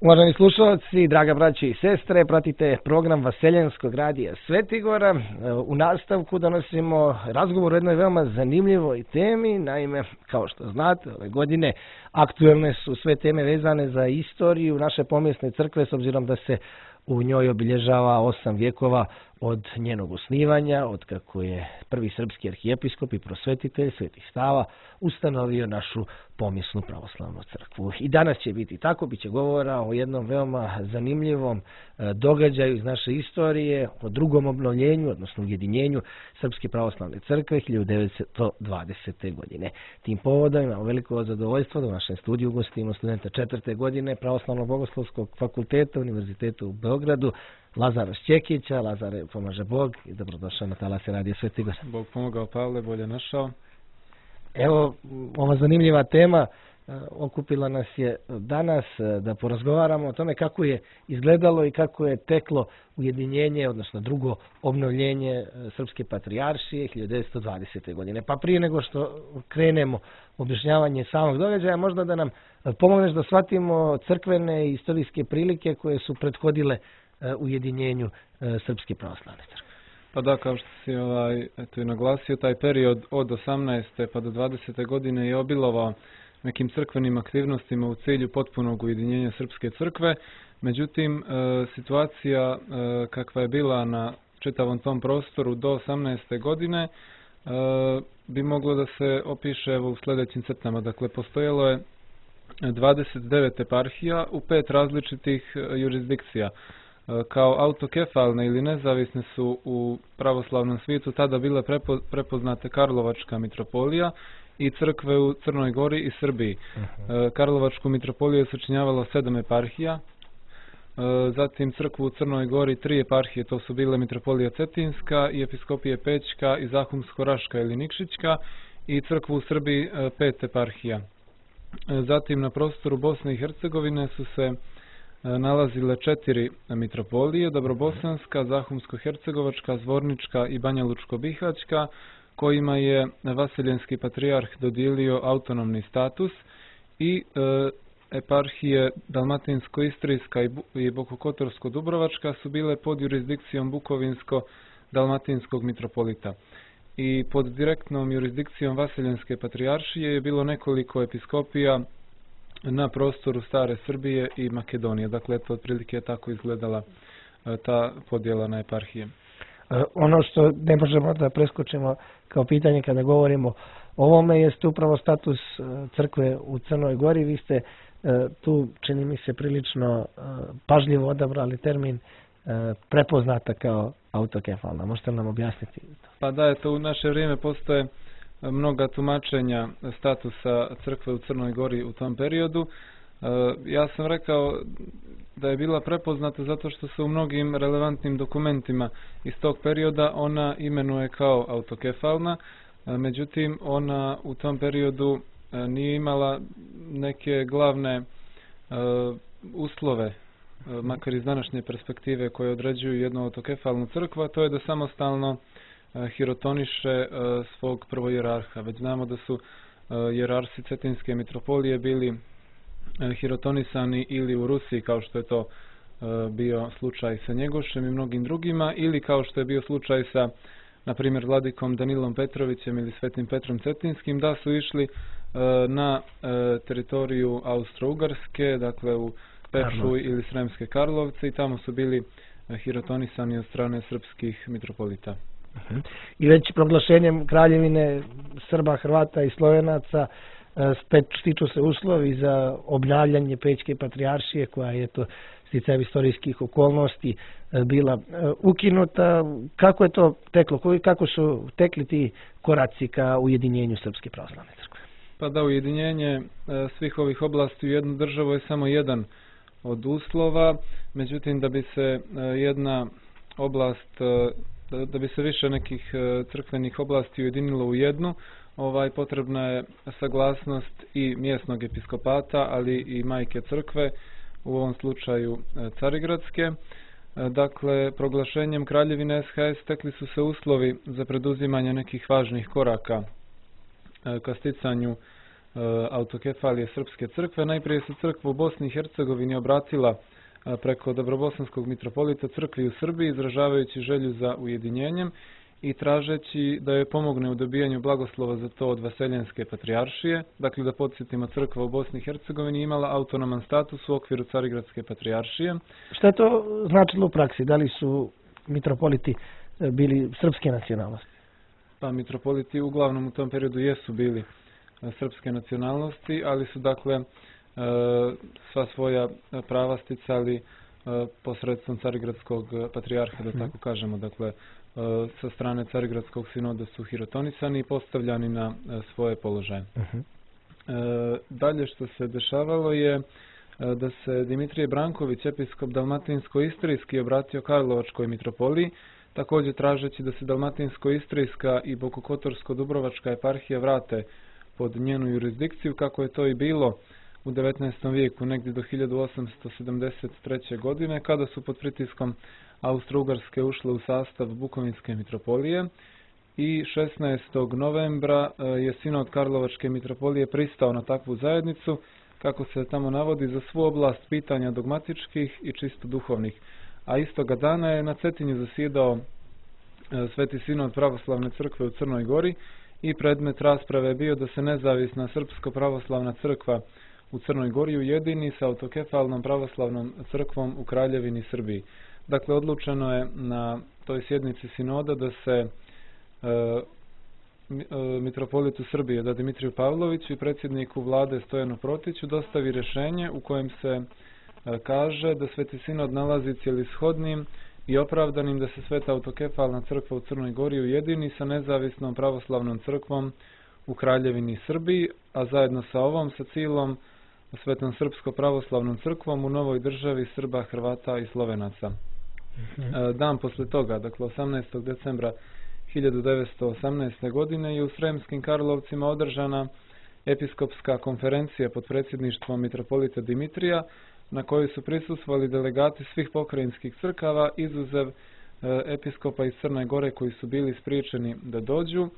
Uvaženi slušalci, draga braće i sestre, pratite program Vaseljenskog radija Svetigora. U nastavku donosimo razgovor o jednoj veoma zanimljivoj temi. Naime, kao što znate, ove godine aktuelne su sve teme vezane za istoriju naše pomjesne crkve, s obzirom da se u njoj obilježava 8 vjekova od njenog osnivanja, od kako je prvi srpski arhijepiskop i prosvetitelj Sveti Sava ustanovio našu pomjesnu pravoslavnu crkvu. I danas će biti tako, bit će govora o jednom veoma zanimljivom događaju iz naše istorije, o drugom obnovljenju, odnosno ujedinjenju Srpske pravoslavne crkve 1920. godine. Tim povodom imamo veliko zadovoljstvo da u našem studiju gostimo studenta 4. godine Pravoslavnog bogoslovskog fakulteta Univerziteta u Beogradu, Lazara Šćekića. Lazare, pomaže Bog i dobrodošao na talase radija Svetigora. Bog pomogao, Pavle, bolje našao. Evo, ova zanimljiva tema okupila nas je danas da porazgovaramo o tome kako je izgledalo i kako je teklo ujedinjenje, odnosno drugo obnovljenje Srpske patrijaršije 1920. godine. Pa prije nego što krenemo objašnjavanje samog događaja, možda da nam pomogneš da shvatimo crkvene i istorijske prilike koje su prethodile ujedinjenju Srpske pravoslavne crkve. Pa da, kao što si eto i naglasio, taj period od 18. pa do 20. godine je obilovao nekim crkvenim aktivnostima u cilju potpunog ujedinjenja Srpske crkve. Međutim, situacija kakva je bila na čitavom tom prostoru do 18. godine bi moglo da se opiše u sljedećim crtama. Dakle, postojalo je 29 eparhija u 5 različitih jurisdikcija. Kao autokefalne ili nezavisne su u pravoslavnom svijetu tada bile prepoznate Karlovačka mitropolija i crkve u Crnoj Gori i Srbiji. Karlovačku mitropoliju je sačinjavalo 7 eparhija, zatim crkvu u Crnoj Gori 3 eparhije, to su bile mitropolija Cetinska i episkopije Pećka i Zahumsko-Raška ili Nikšićka, i crkvu u Srbiji 5 eparhija. Zatim na prostoru Bosne i Hercegovine su se nalazile 4 mitropolije, Dobrobosanska, Zahumsko-hercegovačka, Zvornička i Banjalučko-bihaćka, kojima je Vaseljenski patrijarh dodijelio autonomni status, i eparhije Dalmatinsko-istrijska i Bokokotorsko-dubrovačka su bile pod jurisdikcijom Bukovinsko-dalmatinskog mitropolita. I pod direktnom jurisdikcijom Vaseljenske patrijaršije je bilo nekoliko episkopija na prostoru Stare Srbije i Makedonije. Dakle, to otprilike je tako izgledala ta podjela na eparhije. Ono što ne možemo da preskočimo kao pitanje kada govorimo o ovome jeste upravo status crkve u Crnoj Gori. Vi ste tu, čini mi se, prilično pažljivo odabrali termin prepoznata kao autokefalna. Možete li nam objasniti to? Pa da, eto, u naše vrijeme postoje mnoga tumačenja statusa crkve u Crnoj Gori u tom periodu. Ja sam rekao da je bila prepoznata zato što se u mnogim relevantnim dokumentima iz tog perioda ona imenuje kao autokefalna, međutim ona u tom periodu nije imala neke glavne uslove, makar iz današnje perspektive, koje određuju jednu autokefalnu crkvu, a to je da samostalno hirotoniše svog prvojerarha. Već znamo da su jerarsi Cetinske mitropolije bili hirotonisani ili u Rusiji, kao što je to bio slučaj sa Njegošem i mnogim drugima, ili kao što je bio slučaj sa, na primjer, vladikom Danilom Petrovićem ili Svetim Petrom Cetinskim, da su išli na teritoriju Austro-Ugarske, dakle u Pepšu ili Sremske Karlovce, i tamo su bili hirotonisani od strane srpskih mitropolita. I već proglašenjem kraljevine Srba, Hrvata i Slovenaca stiču se uslovi za obnavljanje Pećke patrijaršije, koja je to sticajem istorijskih okolnosti bila ukinuta. Kako je to teklo? Kako su tekli ti koraci ka ujedinjenju Srpske pravoslavne crkve? Pa da, ujedinjenje svih ovih oblasti u jednu državu je samo jedan od uslova. Međutim, da bi se jedna oblast, da bi se više nekih crkvenih oblasti ujedinilo u jednu, potrebna je saglasnost i mjesnog episkopata, ali i majke crkve, u ovom slučaju Carigradske. Dakle, proglašenjem kraljevine SHS stekli su se uslovi za preduzimanje nekih važnih koraka ka sticanju autokefalije Srpske crkve. Najprije se crkva u Bosni i Hercegovini obratila preko Dobrobosanskog mitropolita crkvi u Srbiji, izražavajući želju za ujedinjenjem i tražeći da joj pomogne u dobijanju blagoslova za to od Vaseljenske patrijaršije. Dakle, da podsjetimo, crkva u Bosni i Hercegovini imala autonoman status u okviru Carigradske patrijaršije. Šta je to značilo u praksi? Da li su mitropoliti bili srpske nacionalnosti? Pa mitropoliti uglavnom u tom periodu jesu bili srpske nacionalnosti, ali su dakle sva svoja prava sticali posredstvom Carigradskog patrijarha, da tako kažemo. Dakle, sa strane Carigradskog sinoda su hirotonisani i postavljani na svoje položaje. Dalje što se dešavalo je da se Dimitrije Branković, episkop Dalmatinsko-Istrijski, obratio Karlovačkoj mitropoliji, također tražeći da se Dalmatinsko-Istrijska i Bokokotorsko-Dubrovačka eparhija vrate pod njenu jurisdikciju, kako je to i bilo u 19. vijeku, negdje do 1873. godine, kada su pod pritiskom Austro-Ugarske ušle u sastav Bukovinske mitropolije, i 16. novembra je sinod Karlovačke mitropolije pristao na takvu zajednicu, kako se tamo navodi, za svu oblast pitanja dogmatičkih i čisto duhovnih. A istoga dana je na Cetinju zasjedao Sveti sinod pravoslavne crkve u Crnoj Gori i predmet rasprave je bio da se nezavisna srpsko-pravoslavna crkva u Crnoj Gori ujedini sa autokefalnom pravoslavnom crkvom u Kraljevini Srbiji. Dakle, odlučeno je na toj sjednici sinoda da se mitropolitu Srbije, da Dimitriju Pavloviću i predsjedniku vlade Stojanu Protiću dostavi rješenje u kojem se kaže da Sveti sinod nalazi cijelishodnim i opravdanim da se Sveta autokefalna crkva u Crnoj Gori ujedini sa nezavisnom pravoslavnom crkvom u Kraljevini Srbiji, a zajedno sa ovom, sa cijelom Svetom srpsko-pravoslavnom crkvom u novoj državi Srba, Hrvata i Slovenaca. Dan posle toga, dakle 18. decembra 1918. godine, je u Sremskim Karlovcima održana episkopska konferencija pod predsjedništvom mitropolita Dimitrija, na kojoj su prisustvovali delegati svih pokrajinskih crkava, izuzev episkopa iz Crne Gore koji su bili spriječeni da dođu,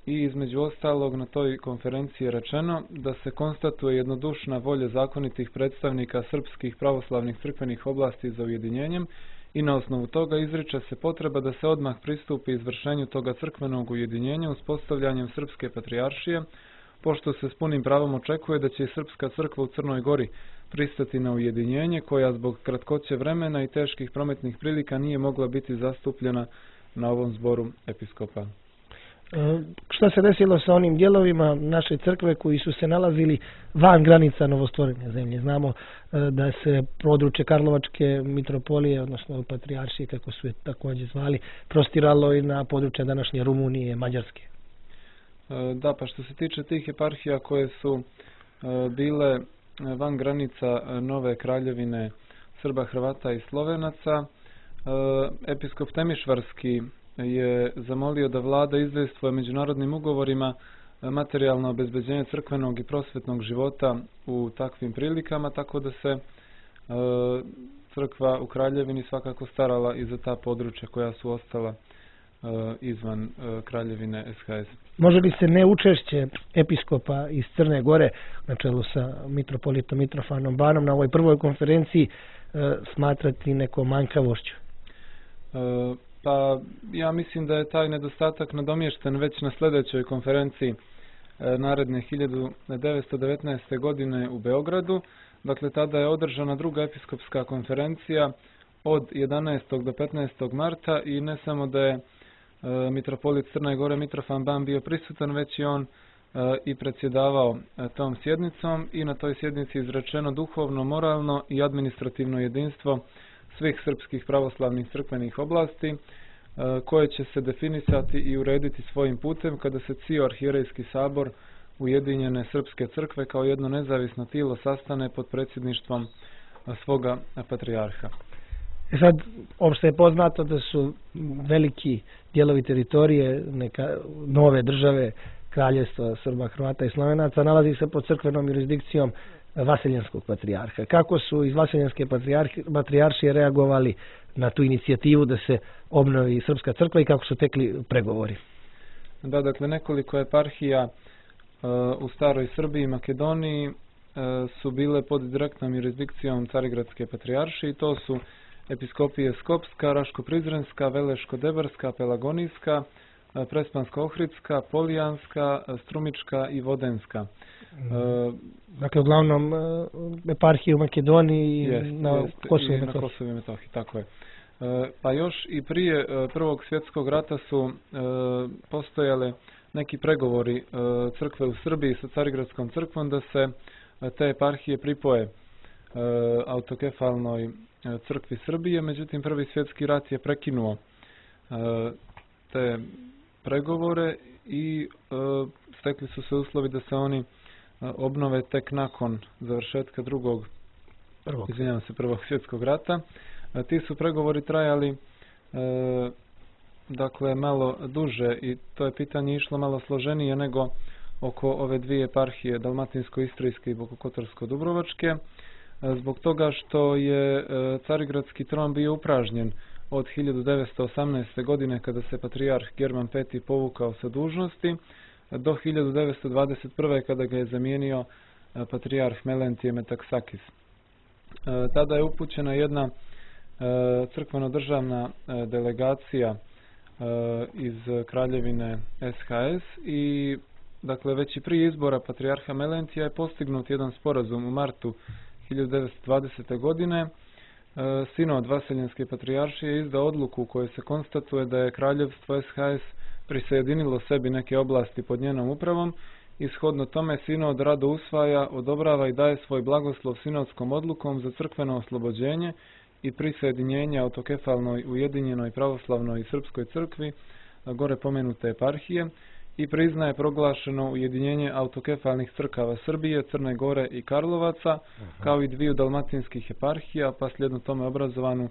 i između ostalog na toj konferenciji je rečeno da se konstatuje jednodušna volja zakonitih predstavnika srpskih pravoslavnih crkvenih oblasti za ujedinjenjem i na osnovu toga izriče se potreba da se odmah pristupi izvršenju toga crkvenog ujedinjenja uspostavljanjem Srpske patrijaršije, pošto se s punim pravom očekuje da će i Srpska crkva u Crnoj Gori pristati na ujedinjenje, koja zbog kratkoće vremena i teških prometnih prilika nije mogla biti zastupljena na ovom zboru episkopa. Šta se desilo sa onim dijelovima naše crkve koji su se nalazili van granica novostvorene zemlje? Znamo da se područje Karlovačke mitropolije, odnosno patrijaršije, kako su je također zvali, prostiralo i na područje današnje Rumunije, Mađarske. Da, pa što se tiče tih eparhija koje su bile van granica nove kraljevine Srba, Hrvata i Slovenaca, episkop Temišvarski je zamolio da vlada izdejstvuje međunarodnim ugovorima materijalno obezbeđenje crkvenog i prosvetnog života u takvim prilikama, tako da se crkva u Kraljevini svakako starala i za ta područja koja su ostala izvan Kraljevine SHS. Može li se neučešće episkopa iz Crne Gore na čelu sa mitropolitom Mitrofanom Banom na ovoj prvoj konferenciji smatrati nekom manjkavošću? Pa ja mislim da je taj nedostatak nadomješten već na sljedećoj konferenciji naredne 1919. godine u Beogradu. Dakle, tada je održana druga episkopska konferencija od 11. do 15. marta i ne samo da je mitropolit Crne Gore Mitrofan Ban bio prisutan, već i on i predsjedavao tom sjednicom, i na toj sjednici izrečeno duhovno, moralno i administrativno jedinstvo svih srpskih pravoslavnih crkvenih oblasti, koje će se definisati i urediti svojim putem kada se cijel arhijerejski sabor Ujedinjene Srpske crkve kao jedno nezavisno tijelo sastane pod predsjedništvom svoga patrijarha. Sad, opšte je poznato da su veliki dijelovi teritorije nove države, kraljevstva Srba, Hrvata i Slovenaca, nalazi se pod crkvenom jurisdikcijom Vaseljenskog patrijarha. Kako su iz Vaseljenske patrijaršije reagovali na tu inicijativu da se obnovi Srpska crkva i kako su tekli pregovori? Da, dakle, nekoliko eparhija u staroj Srbiji i Makedoniji su bile pod direktnom jurisdikcijom Carigradske patrijaršije i to su episkopije Skopska, Raško-Prizrenska, Veleško-Debarska, Pelagonijska, Prespansko-Ohridska, Polijanska, Strumička i Vodenska. Dakle, uglavnom eparhije u Makedoniji i na Kosovu i Metohiji, tako je. Pa još i prije Prvog svjetskog rata su postojale neki pregovori crkve u Srbiji sa Carigradskom crkvom da se te eparhije pripoje autokefalnoj crkvi Srbije, međutim Prvi svjetski rat je prekinuo te pregovore i stekli su se uslovi da se oni obnove tek nakon završetka Prvog svjetskog rata. Ti su pregovori trajali dakle malo duže i to je pitanje išlo malo složenije nego oko ove dvije eparhije, Dalmatinsko-Istrijske i Bokokotorsko-Dubrovačke, zbog toga što je Carigradski tron bio upražnjen od 1918. godine kada se patrijarh German V povukao sa dužnosti do 1921. kada ga je zamijenio patrijarh Melentije Metaksakis. Tada je upućena jedna crkveno-državna delegacija iz kraljevine SHS i dakle već i prije izbora patrijarha Melentija je postignut jedan sporazum u martu 1920. godine. Sinod Vaseljenske patrijaršije izdao odluku u kojoj se konstatuje da je kraljevstvo SHS prisjedinilo sebi neke oblasti pod njenom upravom i shodno tome sinod rado usvaja, odobrava i daje svoj blagoslov sinodskom odlukom za crkveno oslobođenje i prisjedinjenje autokefalnoj ujedinjenoj pravoslavnoj i srpskoj crkvi gore pomenute eparhije i priznaje proglašeno ujedinjenje autokefalnih crkava Srbije, Crne Gore i Karlovaca, kao i dviju dalmatinskih eparhija, pa slijedno tome obrazovanu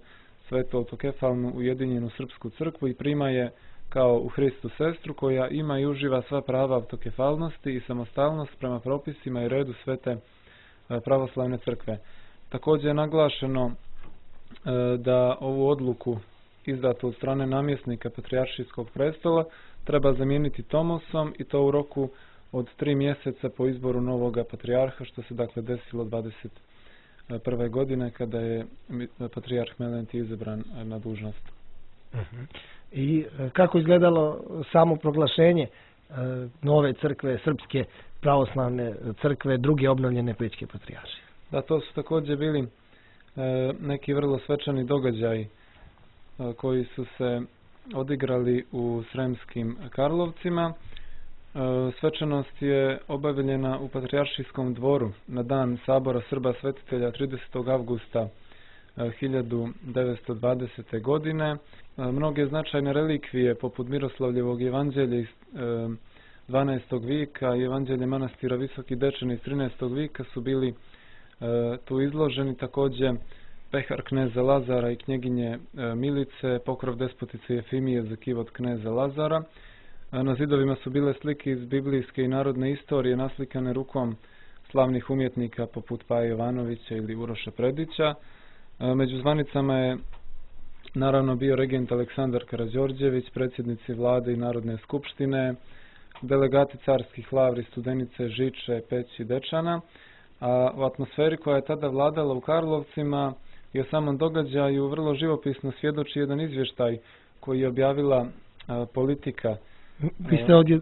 svetu autokefalnu ujedinjenu srpsku crkvu i prima je kao u Hristu sestru koja ima i uživa sva prava autokefalnosti i samostalnost prema propisima i redu svete pravoslavne crkve. Također je naglašeno da ovu odluku izdatu od strane namjesnika patrijaršijskog prestola treba zamijeniti tomosom i to u roku od 3 mjeseca po izboru novoga patrijarha, što se dakle desilo 21. godine kada je patrijarh Melentije izabran na dužnost. I kako izgledalo samo proglašenje nove crkve, srpske pravoslavne crkve, druge obnovljene pećke patrijaršije? Da, to su također bili neki vrlo svečani događaji koji su se odigrali u Sremskim Karlovcima. Svečanost je obavljena u Patrijaršijskom dvoru na dan Sabora Srba Svetitelja 30. avgusta 1920. godine. Mnoge značajne relikvije poput Miroslavljevog evanđelja iz 12. vijeka i evanđelje manastira Visoki Dečani iz 13. vijeka su bili tu izloženi. Također pehar kneza Lazara i knjeginje Milice, pokrov despotice Jefimije za kivot kneza Lazara. Na zidovima su bile slike iz biblijske i narodne istorije naslikane rukom slavnih umjetnika poput Paje Jovanovića ili Uroša Predića. Među zvanicama je naravno bio regent Aleksandar Karađorđević, predsjednici vlade i Narodne skupštine, delegati carskih lavri, Studenice, Žiče, Peći, Dečana. A u atmosferi koja je tada vladala u Karlovcima i o samom događaju vrlo živopisno svjedoči jedan izvještaj koji je objavila Politika. Vi ste ovdje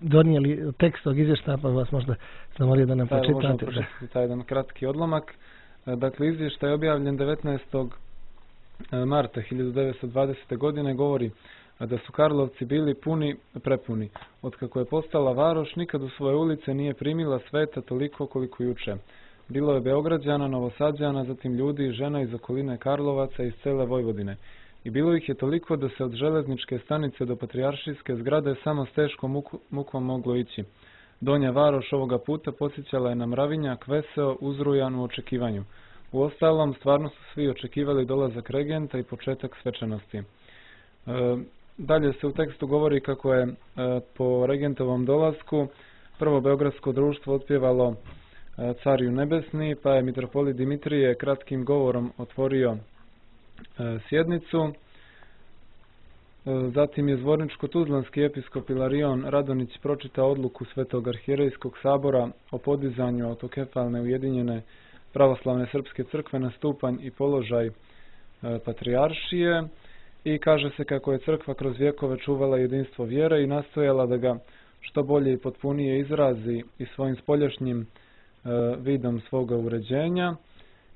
donijeli tekst tog izvještaja, pa vas možda zamolio da nam pročitate. Možemo pročitati taj jedan kratki odlomak. Dakle, izvještaj je objavljen 19. marta 1920. godine, govori da su Karlovci bili prepuni. Otkako je postala varoš, nikad u svoje ulice nije primila sveta toliko koliko juče. Bilo je Beograđana, Novosađana, zatim ljudi i žena iz okoline Karlovaca i iz cele Vojvodine. I bilo ih je toliko da se od železničke stanice do patrijaršijske zgrade samo s teškom mukom moglo ići. Donja varoš ovoga puta podsjećala je na mravinjak, veseo, uzrujan u očekivanju. Uostalom, stvarno su svi očekivali dolazak regenta i početak svečanosti. Dalje se u tekstu govori kako je po regentovom dolasku prvo Beogradsko društvo otpjevalo Cariju nebesni, pa je mitropolit Dimitrije kratkim govorom otvorio sjednicu. Zatim je zvorničko-tuzlanski episkop Ilarion Radonić pročitao odluku Svetog arhijerejskog sabora o podizanju autokefalne ujedinjene pravoslavne srpske crkve na stupanj i položaj patrijaršije i kaže se kako je crkva kroz vjekove čuvala jedinstvo vjere i nastojala da ga što bolje i potpunije izrazi i svojim spoljašnjim vidom svoga uređenja.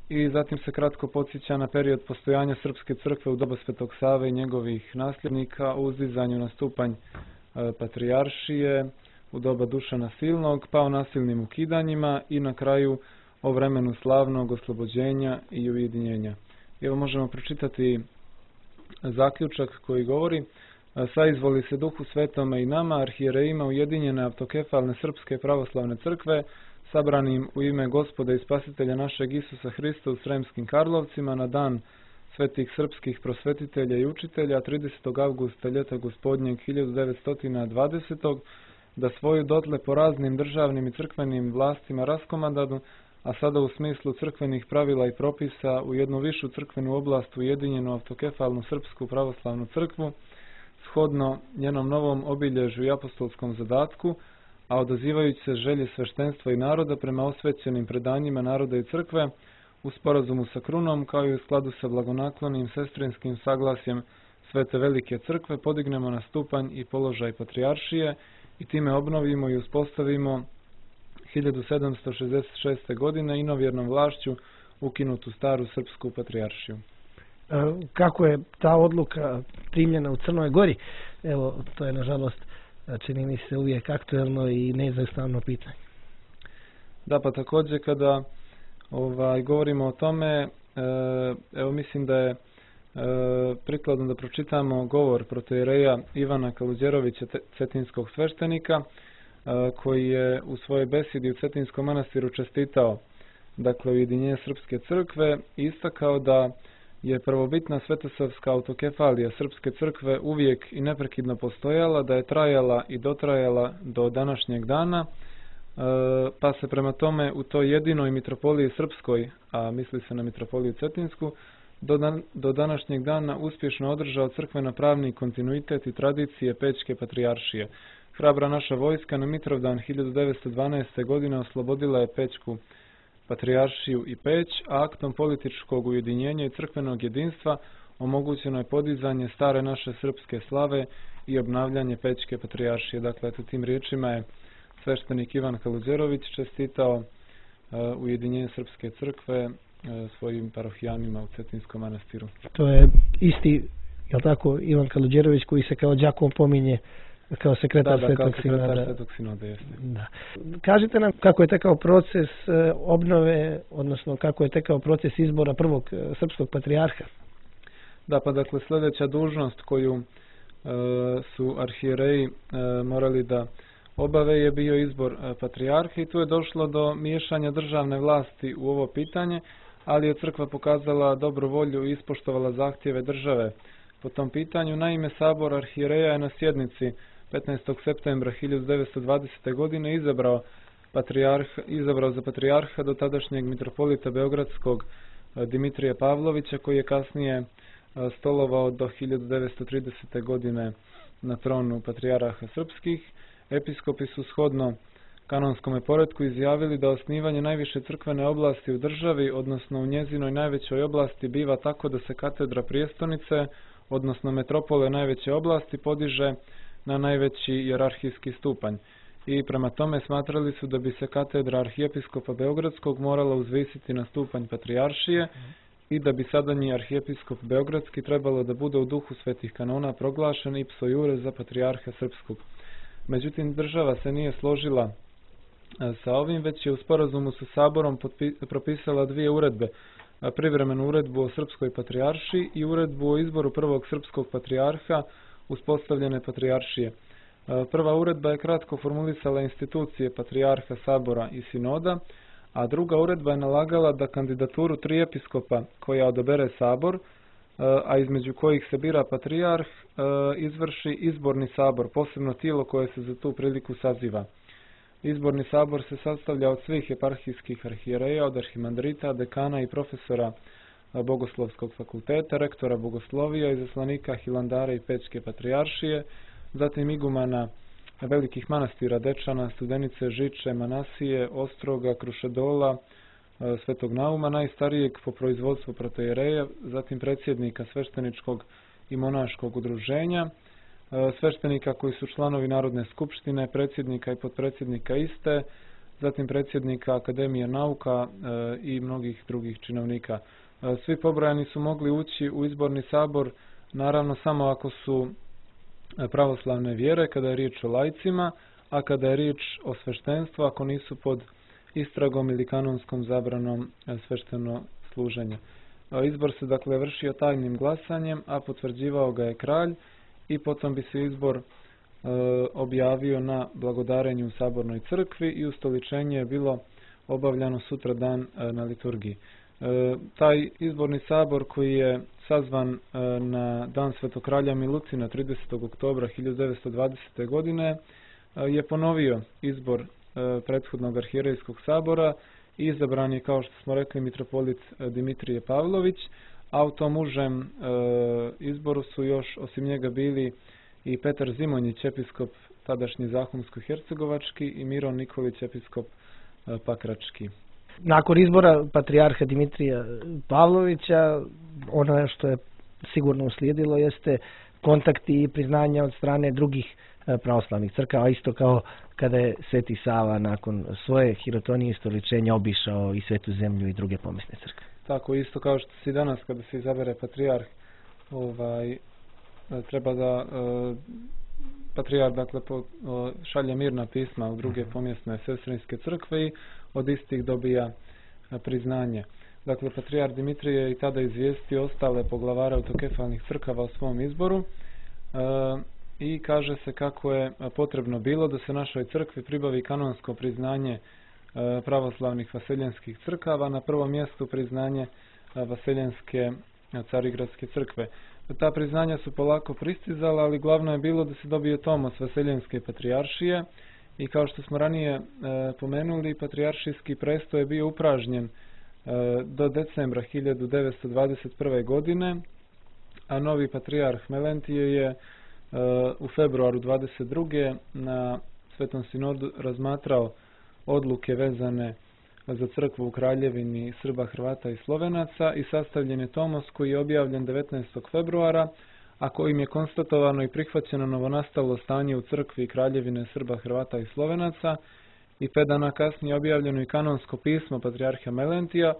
I zatim se kratko podsjeća na period postojanja srpske crkve u doba Svetog Save i njegovih nasljednika, o uzdizanju na stupanj patrijaršije u doba Dušana Silnog, pa o nasilnim ukidanjima i na kraju o vremenu slavnog oslobođenja i ujedinjenja. Evo možemo pročitati zaključak koji govori: saizvoli se Duhu Svetome i nama, arhijerejima ujedinjene autokefalne srpske pravoslavne crkve, sabranim u ime Gospoda i Spasitelja našeg Isusa Hrista u Sremskim Karlovcima na dan svetih srpskih prosvetitelja i učitelja 30. avgusta ljeta gospodnjeg 1920. da svoju dotle po raznim državnim i crkvenim vlastima raskomadadu, a sada u smislu crkvenih pravila i propisa u jednu višu crkvenu oblast ujedinjenu autokefalnu srpsku pravoslavnu crkvu, shodno njenom novom obilježju i apostolskom zadatku, a odazivajući se želje sveštenstva i naroda prema osvećenim predanjima naroda i crkve, u sporazumu sa krunom, kao i u skladu sa blagonaklonim sestrinskim saglasjem Svete Velike crkve, podignemo na stupanj i položaj patrijaršije i time obnovimo i uspostavimo 1766. godine inovjernom vlašću ukinutu staru srpsku patrijaršiju. Kako je ta odluka primljena u Crnoj Gori? Evo, to je nažalost, čini mi se, uvijek aktuelno i neizostavno pitanje. Da, pa također kada govorimo o tome, evo mislim da je prikladno da pročitamo govor protoijereja Ivana Kaluđerovića, cetinskog sveštenika, koji je u svojoj besedi u Cetinskom manastiru čestitao ujedinjenje srpske crkve i istakao da je prvobitna svetosavska autokefalija srpske crkve uvijek i neprekidno postojala, da je trajala i dotrajala do današnjeg dana, pa se prema tome u toj jedinoj mitropoliji srpskoj, a misli se na mitropoliju Cetinsku, do današnjeg dana uspješno održao crkveno-pravni kontinuitet i tradicije Pećke patrijaršije. Hrabra naša vojska na Mitrovdan 1912. godine oslobodila je Pećku patrijaršiju i Peć, a aktom političkog ujedinjenja i crkvenog jedinstva omogućeno je podizanje stare naše srpske slave i obnavljanje Pećke patrijaršije. Dakle, tim riječima je sveštenik Ivan Kaluđerović čestitao ujedinjenje srpske crkve svojim parohijanima u Cetinskom manastiru. To je isti, jel tako, Ivan Kaluđerović koji se kao đakon pominje kao sekretar Svetog Sinoda. Da. Kažite nam kako je tekao proces obnove, odnosno kako je tekao proces izbora prvog srpskog patrijarha. Da, pa dakle sljedeća dužnost koju su arhijereji morali da obave je bio izbor patrijarha i tu je došlo do miješanja državne vlasti u ovo pitanje, ali je crkva pokazala dobru volju i ispoštovala zahtjeve države po tom pitanju. Naime, sabor arhijereja je na sjednici 15. septembra 1920. godine izabrao za patrijarha do tadašnjeg mitropolita beogradskog Dimitrija Pavlovića, koji je kasnije stolovao do 1930. godine na tronu patrijarha srpskih. Episkopi su shodno kanonskome poretku izjavili da osnivanje najviše crkvene oblasti u državi, odnosno u njezinoj najvećoj oblasti, biva tako da se katedra prijestolnice, odnosno metropole najveće oblasti, podiže na najveći hijerarhijski stupanj. I prema tome smatrali su da bi se katedra arhijepiskopa Beogradskog morala uzvisiti na stupanj patrijaršije i da bi sadanji arhijepiskop Beogradski trebalo da bude u duhu svetih kanona proglašen ipso iure za patrijarha srpskog. Međutim, država se nije složila sa ovim, već je u sporazumu sa saborom propisala dvije uredbe. Privremenu uredbu o srpskoj patrijaršiji i uredbu o izboru prvog srpskog patrijarha uspostavljene patrijaršije. Prva uredba je kratko formulisala institucije patrijarha, sabora i sinoda, a druga uredba je nalagala da kandidaturu 3 episkopa koja odabere sabor, a između kojih se bira patrijarh, izvrši izborni sabor, posebno tijelo koje se za tu priliku saziva. Izborni sabor se sastavlja od svih eparhijskih arhijereja, od arhimandrita, dekana i profesora Bogoslovskog fakulteta, rektora bogoslovija, izaslanika Hilandara i Pećke patrijaršije, zatim igumana velikih manastira Dečana, Studenice, Žiče, Manasije, Ostroga, Krušedola, Svetog Nauma, najstarijeg po proizvodstvu protojereja, zatim predsjednika svešteničkog i monaškog udruženja, sveštenika koji su članovi Narodne skupštine, predsjednika i potpredsjednika iste, zatim predsjednika Akademije nauka i mnogih drugih činovnika. Svi pobrojani su mogli ući u izborni sabor, naravno samo ako su pravoslavne vjere, kada je riječ o laicima, a kada je riječ o sveštenstvu, ako nisu pod istragom ili kanonskom zabranom svešteno služenja. Izbor se dakle vršio tajnim glasanjem, a potvrđivao ga je kralj i potom bi se izbor objavio na blagodarenju u sabornoj crkvi i ustoličenje je bilo obavljano sutra dan na liturgiji. Taj izborni sabor koji je sazvan na dan Svetog kralja Milutina 30. oktobra 1920. godine je ponovio izbor prethodnog arhijerejskog sabora i izabran je, kao što smo rekli, mitropolit Dimitrije Pavlović, a u tom užem izboru su još osim njega bili i Petar Zimonjić, episkop tadašnji Zahumsko-hercegovački, i Miron Nikolić, episkop Pakrački. Nakon izbora patrijarha Dimitrija Pavlovića, ono što je sigurno uslijedilo jeste kontakti i priznanja od strane drugih pravoslavnih crkava, isto kao kada je Sveti Sava nakon svoje hirotonije i stoličenja obišao i Svetu zemlju i druge pomisne crkve. Tako isto kao što se danas kada se izabere patrijarh, treba da patrijarh dakle šalje mirna pisma u druge pomjesne sestrinske crkve i od istih dobija priznanje. Dakle, patrijarh Dimitrije je i tada izvijestio ostale poglavare autokefalnih crkava o svom izboru i kaže se kako je potrebno bilo da se našoj crkvi pribavi kanonsko priznanje pravoslavnih vaseljenskih crkava, na prvom mjestu priznanje vaseljenske carigradske crkve. Ta priznanja su polako pristizala, ali glavno je bilo da se dobije tomos vaseljenske patrijaršije i kao što smo ranije pomenuli, patrijaršijski prestoj je bio upražnjen do decembra 1921. godine, a novi patrijarh Melentije je u februaru 22. na Svetom sinodu razmatrao odluke vezane za crkvu u Kraljevini Srba, Hrvata i Slovenaca i sastavljen je tomos koji je objavljen 19. februara, a kojim je konstatovano i prihvaćeno novonastalo stanje u crkvi Kraljevine Srba, Hrvata i Slovenaca i 5 dana kasnije objavljeno i kanonsko pismo patrijarha Melentija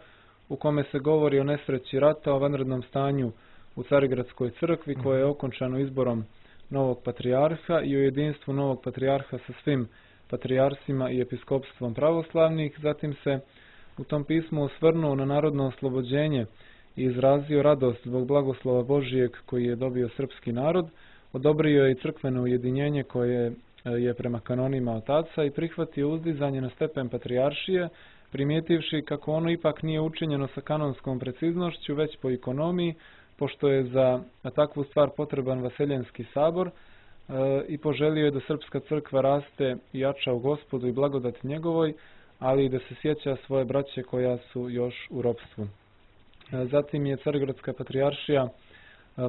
u kome se govori o nesreći rata, o vanrednom stanju u Carigradskoj crkvi koje je okončano izborom novog patrijarha i o jedinstvu novog patrijarha sa svim patrijarsima i episkopstvom pravoslavnih. Zatim se u tom pismu osvrnuo na narodno oslobođenje i izrazio radost zbog blagoslova Božijeg koji je dobio srpski narod, odobrio je i crkveno ujedinjenje koje je prema kanonima otaca i prihvatio uzdizanje na stepen patrijaršije, primijetivši kako ono ipak nije učinjeno sa kanonskom preciznošću, već po ikonomiji, pošto je za takvu stvar potreban vaseljenski sabor, i poželio je da srpska crkva raste i jača u Gospodu i blagodati njegovoj, ali i da se sjeća svoje braće koja su još u ropstvu. Zatim je Carigradska patrijaršija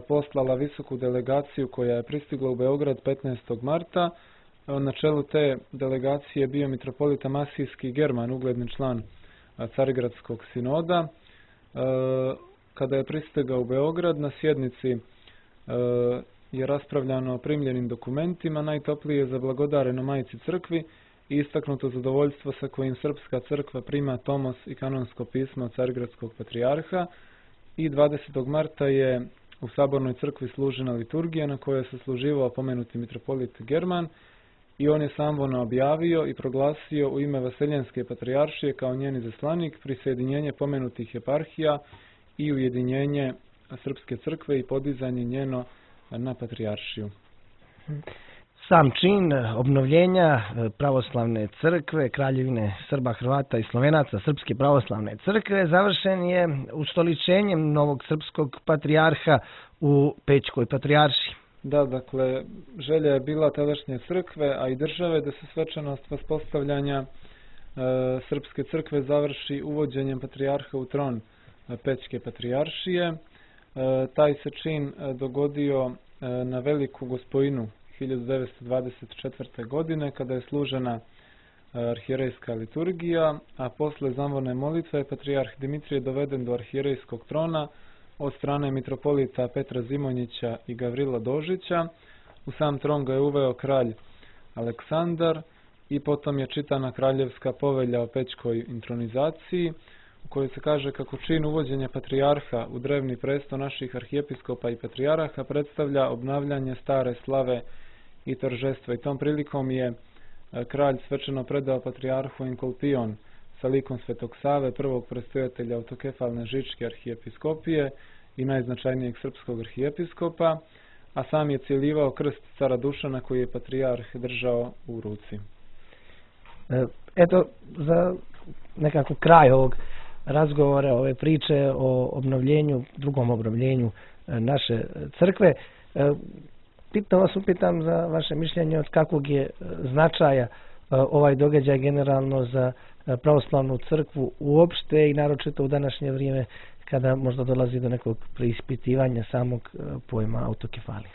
poslala visoku delegaciju koja je pristigla u Beograd 15. marta. Na čelu te delegacije bio mitropolita Masijski German, ugledni član Carigradskog sinoda. Kada je pristigao u Beograd, na sjednici je raspravljano o primljenim dokumentima, najtoplije zablagodareno Majci crkvi i istaknuto zadovoljstvo sa kojim srpska crkva prima tomos i kanonsko pismo od Carigradskog patrijarha i 20. marta je u sabornoj crkvi služena liturgija na kojoj se služivao pomenuti mitropolit German i on je samvono objavio i proglasio u ime Vaseljenske patrijaršije kao njen izaslanik prisjedinjenje pomenutih eparhija i ujedinjenje srpske crkve i podizanje njeno na patrijaršiju. Sam čin obnovljenja pravoslavne crkve, Kraljevine Srba, Hrvata i Slovenaca, Srpske pravoslavne crkve, završen je ustoličenjem novog srpskog patrijarha u Pećkoj patrijaršiji. Da, dakle, želja je bila tadašnje crkve, a i države da se svečanost vaspostavljanja Srpske crkve završi uvođenjem patrijarha u tron Pećke patrijaršije. Taj se čin dogodio na Veliku Gospojinu 1924. godine kada je služena arhijerejska liturgija, a posle zamorne molitve patrijarh Dimitrije doveden do arhijerejskog trona od strane mitropolita Petra Zimonjića i Gavrila Dožića. U sam tron ga je uveo kralj Aleksandar i potom je čitana kraljevska povelja o pećkoj intronizaciji u kojoj se kaže kako čin uvođenja patrijarha u drevni presto naših arhijepiskopa i patrijaraha predstavlja obnavljanje stare slave i торжества. I tom prilikom je kralj svečano predao patrijarhu Enkolpion sa likom Svetog Save, prvog prestojatelja autokefalne Žičke arhijepiskopije i najznačajnijeg srpskog arhijepiskopa, a sam je cijelivao krst cara Dušana koji je patrijarh držao u ruci. Eto, za nekako kraj ovog razgovora, ove priče o obnovljenju, drugom obnovljenju naše crkve, upitam za vaše mišljenje od kakvog je značaja ovaj događaj generalno za pravoslavnu crkvu uopšte i naročito u današnje vrijeme kada možda dolazi do nekog preispitivanja samog pojma autokefalije.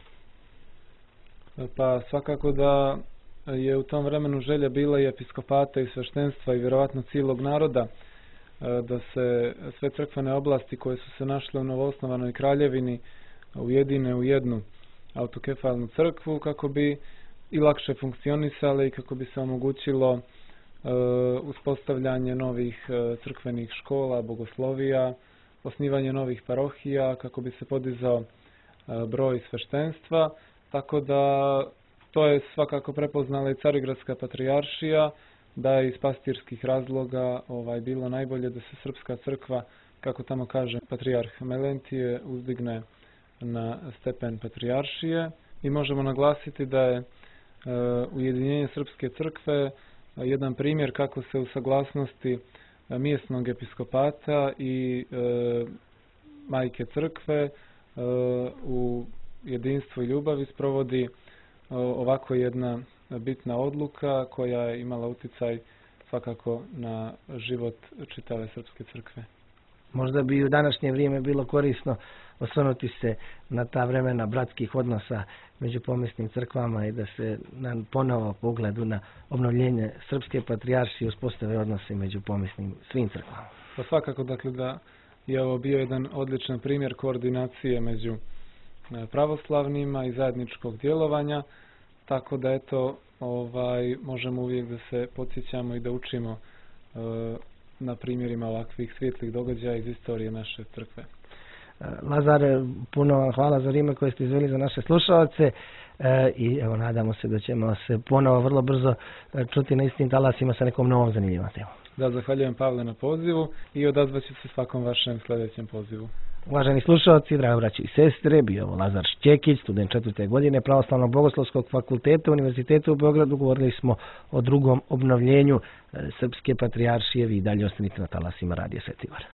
Pa svakako da je u tom vremenu želja bila i episkopata i sveštenstva i vjerovatno cijelog naroda da se sve crkvene oblasti koje su se našle u novoosnovanoj kraljevini ujedine u jednu autokefalnu crkvu kako bi i lakše funkcionisale i kako bi se omogućilo uspostavljanje novih crkvenih škola, bogoslovija, osnivanje novih parohija, kako bi se podizao broj sveštenstva, tako da to je svakako prepoznala i Carigradska patrijaršija, da je iz pastirskih razloga bilo najbolje da se srpska crkva, kako tamo kaže patrijarh Melentije, uzdigne na stepen patrijaršije. I možemo naglasiti da je ujedinjenje srpske crkve jedan primjer kako se u saglasnosti mjesnog episkopata i majke crkve u jedinstvu i ljubavi sprovodi ovako jedna bitna odluka koja je imala uticaj svakako na život čitave srpske crkve. Možda bi u današnje vrijeme bilo korisno osvrnuti se na ta vremena bratskih odnosa među pomisnim crkvama i da se ponovo pogledu na obnovljenje srpske patrijaršije uspostave odnose među pomisnim svim crkvama. Pa svakako dakle da je ovo bio jedan odličan primjer koordinacije među pravoslavnima i zajedničkog djelovanja, tako da eto možemo uvijek da se podsjećamo i da učimo na primjerima ovakvih svijetlih događaja iz istorije naše crkve. Lazar, puno vam hvala za vrijeme koje ste izveli za naše slušalce i evo nadamo se da ćemo se ponovo vrlo brzo čuti na istim talasima sa nekom novom zanimljivom temom. Da, zahvaljujem Pavle na pozivu i odazvat ću se svakom vašem sljedećem pozivu. Uvaženi slušalci, drago braći i sestre, bio ovo Lazar Šćekić, student 4. godine Pravoslavnog bogoslovskog fakulteta Univerziteta u Beogradu. Govorili smo o drugom obnovljenju srpske patrijaršije. Vi dalje ostanite na talasima Radija Sveti Gor.